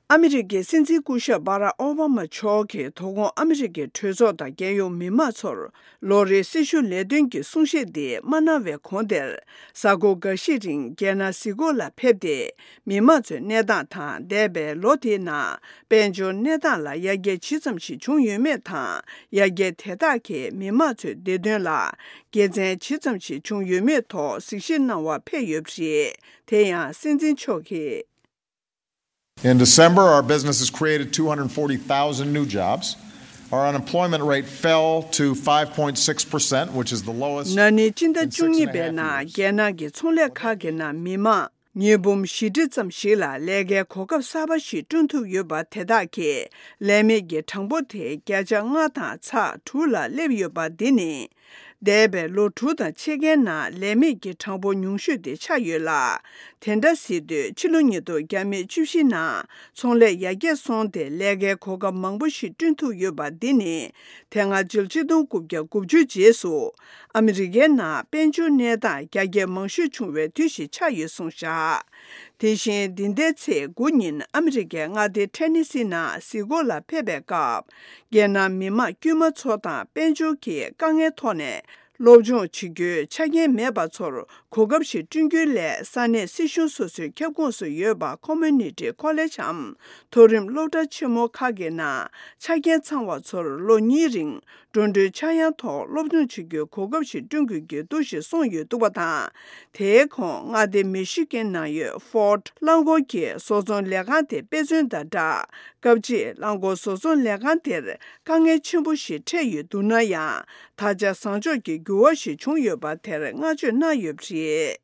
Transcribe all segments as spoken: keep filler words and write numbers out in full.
ཨ་མི་རི་ཀའི་སྲིད་འཛིན་སྐུ་ཞབས་བྷ་རག་ཨོ་བྷ་མ་མཆོག་གིས་དོ་དགོང་ཨ་མི་རི་ཀའི་གྲོས་ཚོགས་དང་རྒྱལ་ཡོངས་མི་མང་ཚོར་ལོ་རེའི་སྲི་ཞུ་ལས་དོན་གྱི་གསུང་བཤད་འདི་མ་གནང་བའི་གོང་དེར། གཟའ་འཁོར་འགའ་ཤས་རིང་རྒྱལ་ནང་གཟིགས་སྐོར་ལ་ཕེབས་ཏེ། མི་མང་ཚོའི་གནས་སྟངས་དང་། འདས་པའི་ལོ་དེའི་ནང་དཔལ་འབྱོར་གནས་སྟངས་ལ་ཡར་རྒྱས་ཇི་ཙམ་ཞིག་བྱུང་ཡོད་མེད་དང་། ཡར་རྒྱས་དེ་དག་གིས་མི་མང་ཚོའི་བདེ་དོན་ལ་དགེ་མཚན་ཇི་ཙམ་ཞིག་བྱུང་ཡོད་མེད་ཐོག་གཟིགས་ཞིབ་གནང་བར་ཕེབས་ཡོད་པ་རེད། དེ་ཡང་སྲིད་འཛིན་མཆོག་གིས། In December, our businesses created two hundred forty thousand new jobs. Our unemployment rate fell to five point six percent, which is the lowest ན་ནིང་སྤྱི་ཟླ་in བཅུ་གཉིས་པའི་ནང་རྒྱལ་ནང་གི་ཚོང་ལས་ཁག་གི་ནང་མི་མང་ཉིས་འབུམ་བཞི་ཁྲི་ཙམ་ཞིག་ལ་ལས་ཀའི་གོ་སྐབས་གསར་པ་ཞིག་བསྐྲུན་ཐུབ་ཡོད་པ། དེ་དག་གི་ལས་མེད་ཀྱི་གྲངས་འབོར་དེ་བརྒྱ་ཆ་ལྔ་དང་ཚེག་དྲུག་ལ་སླེབས་ཡོད་པ་འདི་ནི། འདས་པའི་ལོ་དྲུག་དང་ཕྱེད་ཀའི་ནང་ལས་མེད་ཀྱི་གྲངས་འབོར་ཉུང་ཤོས་དེ་ཆགས་ཡོད་ལ། དེ་འདྲ་ཟེར་དུས་ཕྱི་ལོ་ཉིས་སྟོང་བརྒྱ་མེད་བཅུ་བཞི་ནང་ཚོང་ལས་ཡར་རྒྱས་སོང་སྟེ་ལས་ཀའི་གོ་སྐབས་མང་པོ་ཞིག་བསྐྲུན་ཐུབ་ཡོད་པ་འདི་ནི། དེ་སྔ་ཕྱི་ལོ་ཆིག་སྟོང་དགུ་བརྒྱ་དགུ་བཅུ་རྗེས་སུ་ཨ་མི་རི་ཀའི་ནང་དཔལ་འབྱོར་གནས་སྟངས་རྒྱ་སྐྱེད་མང་ཤོས་བྱུང་བའི་དུས་ཤིག་ཆགས་ཡོད་གསུངས་བཞག་དེ་བཞིན་འདི་ཟླའི་ཚེས་དགུ་ཉིན་ཨ་མི་རི་ཀའི་མངའ་སྡེ་ཐེ་ནི་སི་ནང་གཟིགས་སྐོར་ལ་ཕེབས་པའི་སྐབས། རྒྱལ་ནང་མི་མང་དཀྱུས་མ་ཚོ་དང་དཔལ་འབྱོར་གྱི་དཀའ་ངལ་ཐོག་ནས་སློབ་སྦྱོང་བྱེད་རྒྱུའི་ཆ་རྐྱེན་མེད་པ་ཚོར་གོ་སྐབས་ཤིག་བསྐྲུན་རྒྱུའི་སླད། ས་གནས་སྲིད་གཞུང་སོ་སོའི་ཁྱབ་ཁོངས་སུ་ཡོད་པ་ཁོ་མོ་ནི་ཊི་ཁོ་ལེ་ཇམ་མཐོ་རིམ་སློབ་གྲྭ་ཆེན་མོ་ཁག་གི་ནང་ཆ་རྐྱེན་ཚང་བ་ཚོར་ལོ་གཉིས་རིང་འགྲོ་གྲོན་ཆག་ཡང་ཐོག་སློབ་སྦྱོང་བྱེད་རྒྱུའི་གོ་སྐབས་ཤིག་བསྐྲུན་དགོས་ཀྱི་འདུག་ཞེས་གསུངས་ཡོད་འདུག་པ་དང་། དེའི་གོང་མངའ་སྡེ་མི་ཤི་གན་ནང་ཡོད་ཧྥོར་ཌི་རླངས་འཁོར་གྱི་བཟོ་ཚོང་ལས་ཁང་དེ་དཔེ་མཚོན་དང་སྦྲགས། སྐབས་གཅིག་རླངས་འཁོར་བཟོ་ཚོང་ལས་ཁང་དེར་དཀའ་ངལ་ཆེན་པོ་ཞིག་འཕྲད་ཡོད་འདུག་ན་ཡང་། ད་ཆ་བཟང་ཕྱོགས་ཀྱི་འགྱུར་བ་ཞིག་བྱུང་ཡོད་པ་དེར་བསྔགས་བརྗོད་གནང་ཡོད་པ་རེད།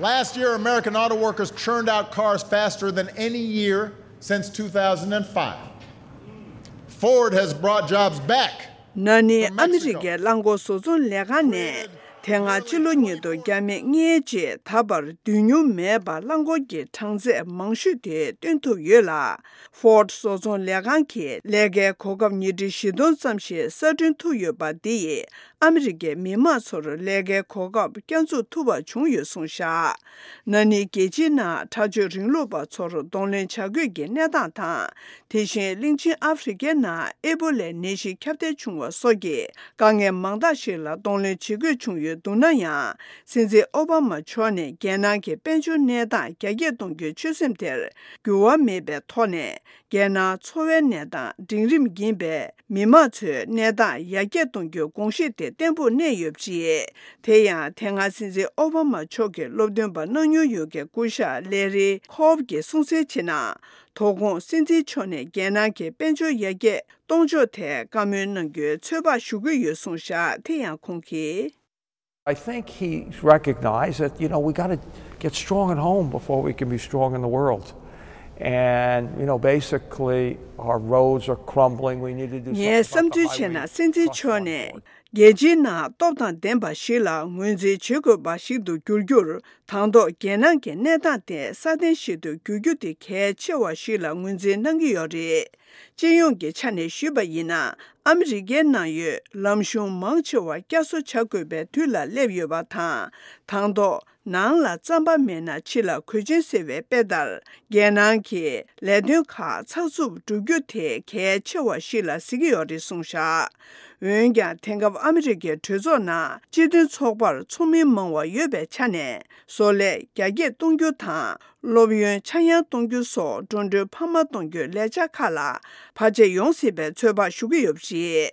Last year, American auto workers churned out cars faster than any year since two thousand five. Ford has brought jobs back. ན་ནིང་ཨ་མི་རི་ཀའི་རླངས་འཁོར་བཟོ་ཚོང་ལས་ཁང་ནས་དེ་སྔ་ཕྱི་ལོ་ཉིས་སྟོང་བརྒྱ་མེད་ལྔའི་རྗེས་ད་བར་བསྡུས་མྱོང་མེད་པར་རླངས་འཁོར་གྱི་གྲངས་ཚད་མང་ཤོས་དེ་བཏོན་ཐུབ་ཡོད་ལ། ཧྥོར་ཌི་བཟོ་ཚོང་ལས་ཁང་གིས་ལས་ཀའི་གོ་སྐབས་ཉིས་ཁྲི་བཞི་སྟོང་ཙམ་ཞིག་གསར་སྐྲུན་ཐུབ་ཡོད་པ་འདི་ཡིས་ཨ་མི་རི་ཀའི་མི་མང་ཚོར་ལས་ཀའི་གོ་སྐབས་བསྐྱར་འཛུགས་ཐུབ་པ་བྱུང་ཡོད་གསུངས་བཞག་ན་ནིང་རྒྱལ་སྤྱིའི་ནང་དྲག་སྤྱོད་རིང་ལུགས་པ་ཚོར་གདོང་ལེན་བྱ་དགོས་ཀྱི་གནས་སྟངས་དང་། དེ་བཞིན་གླིང་ཆེན་ཨ་ཧྥེ་རི་ཁའི་ནང་ཨེ་པོ་ལའི་ནད་གཞི་ཁྱབ་གདལ་བྱུང་བ་སོགས་ཀྱི་དཀའ་ངལ་མང་དག་ཞིག་ལ་གདོང་ལེན་བྱེད་དགོས་བྱུང་ཡོད་འདུག་ན་ཡང་། སྲིད་འཛིན་ཨོ་བྷ་མ་མཆོག་ནས་རྒྱལ་ནང་གི་དཔལ་འབྱོར་གནས་སྟངས་རྒྱ་སྐྱེད་གཏོང་རྒྱུའི་ཆོད་སེམས་དེར་འགྱུར་བ་མེད་པའི་ཐོག་ནས། རྒྱལ་ནང་འཚོ་བའི་གནས་སྟངས་འབྲིང་རིམ་ཡིན་པས། མི་མང་ཚོའི་གནས་སྟངས་ཡར་རྒྱས་གཏོང་རྒྱུའི་དགོངས་གཞི་དེ་བརྟན་པོར་གནས་ཡོད་པ་རེད། དེ་ཡང་དེ་སྔ་སྲིད་འཛིན་ཨོ་བྷ་མ་མཆོག་གི་སློབ་སྟོན་པ་གནང་མྱོང་ཡོད་མཁན་སྐུ་ཞབས་ལེ་རི་ཁོབ་ཀྱིས་གསུངས་གསལ་བྱས་ན། དོ་དགོང་སྲིད་འཛིན་མཆོག་ནས་རྒྱལ་ནང་གི་དཔལ་འབྱོར་ཡར་རྒྱས་གཏོང་ཕྱོགས་ཐད་བཀའ་མོལ་གནང་རྒྱུའི་ཚོད་དཔག་ཞུ་གི་ཡོད་གསུངས་བཞག་དེ་ཡང་ཁོང་གིས། I think he recognized that, you know, we got to get strong at home before we can be strong in the world. And, you know, basically, our roads are crumbling. We need to do something about the highway infrastructure. ངས་བསམ་ཚུལ་བྱས་ན་སྲིད་འཛིན་མཆོག་ནས་རྒྱལ་སྤྱིའི་ནང་སྟོབས་དང་ལྡན་པ་ཞིག་ལ་ངོས་འཛིན་བྱེད་དགོས་པ་ཞིག་ཏུ་འགྱུར་རྒྱུར། དང་ཐོག་རྒྱལ་ནང་གི་གནས་སྟངས་དེ་སྲ་བརྟན་ཞིག་ཏུ་འགྱུར་རྒྱུ་དེ་གལ་ཆེ་བ་ཞིག་ལ་ངོས་འཛིན་གནང་གི་ཡོད་རེད། སྤྱི་ཡོངས་ཀྱི་ཆ་ནས་ཞུས་པ་ཡིན་ན། ཨ་མི་རི་ཀའི་ནང་ཡོད་ལམ་གཞུང་མང་ཆེ་བ་བསྐྱར་གསོ་བྱ་དགོས་པའི་དུས་ལ་སླེབས་ཡོད་པ་དང་། དང་ཐོག་ནང་ལ་རྩམ་པ་མེད་ན་ཕྱི་ལ་གོས་ཆེན་ཟེར་བའི་དཔེ་ལྟར། རྒྱལ་ནང་གི་ལས་དོན་ཁག་ཚགས་ཚུད་སྒྲུབ་རྒྱུ་དེ་གལ་ཆེ་བ་ཞིག་ལ་གཟིགས་ཀྱི་ཡོད་རེད་གསུངས་བཞག་འོན་ཀྱང་། དེང་སྐབས་ཨ་མི་རི་ཀའི་གྲོས་ཚོགས་ནང་སྤྱི་མཐུན་ཚོགས་པར་ཚོགས་མི་མང་བ་ཡོད་པའི་ཆ་ནས། བཟོ་ལས་རྒྱ་སྐྱེད་གཏོང་རྒྱུ་དང་། སློབ་ཡོན་ཆག་ཡང་གཏོང་རྒྱུ་སོགས་འགྲོ་གྲོན་འཕར་མ་གཏོང་རྒྱུའི་ལས་འཆར་ཁག་ལ་བར་ཆད་ཡོང་སྲིད་པའི་ཚོད་དཔག་ཞུ་གི་ཡོད་པ་རེད།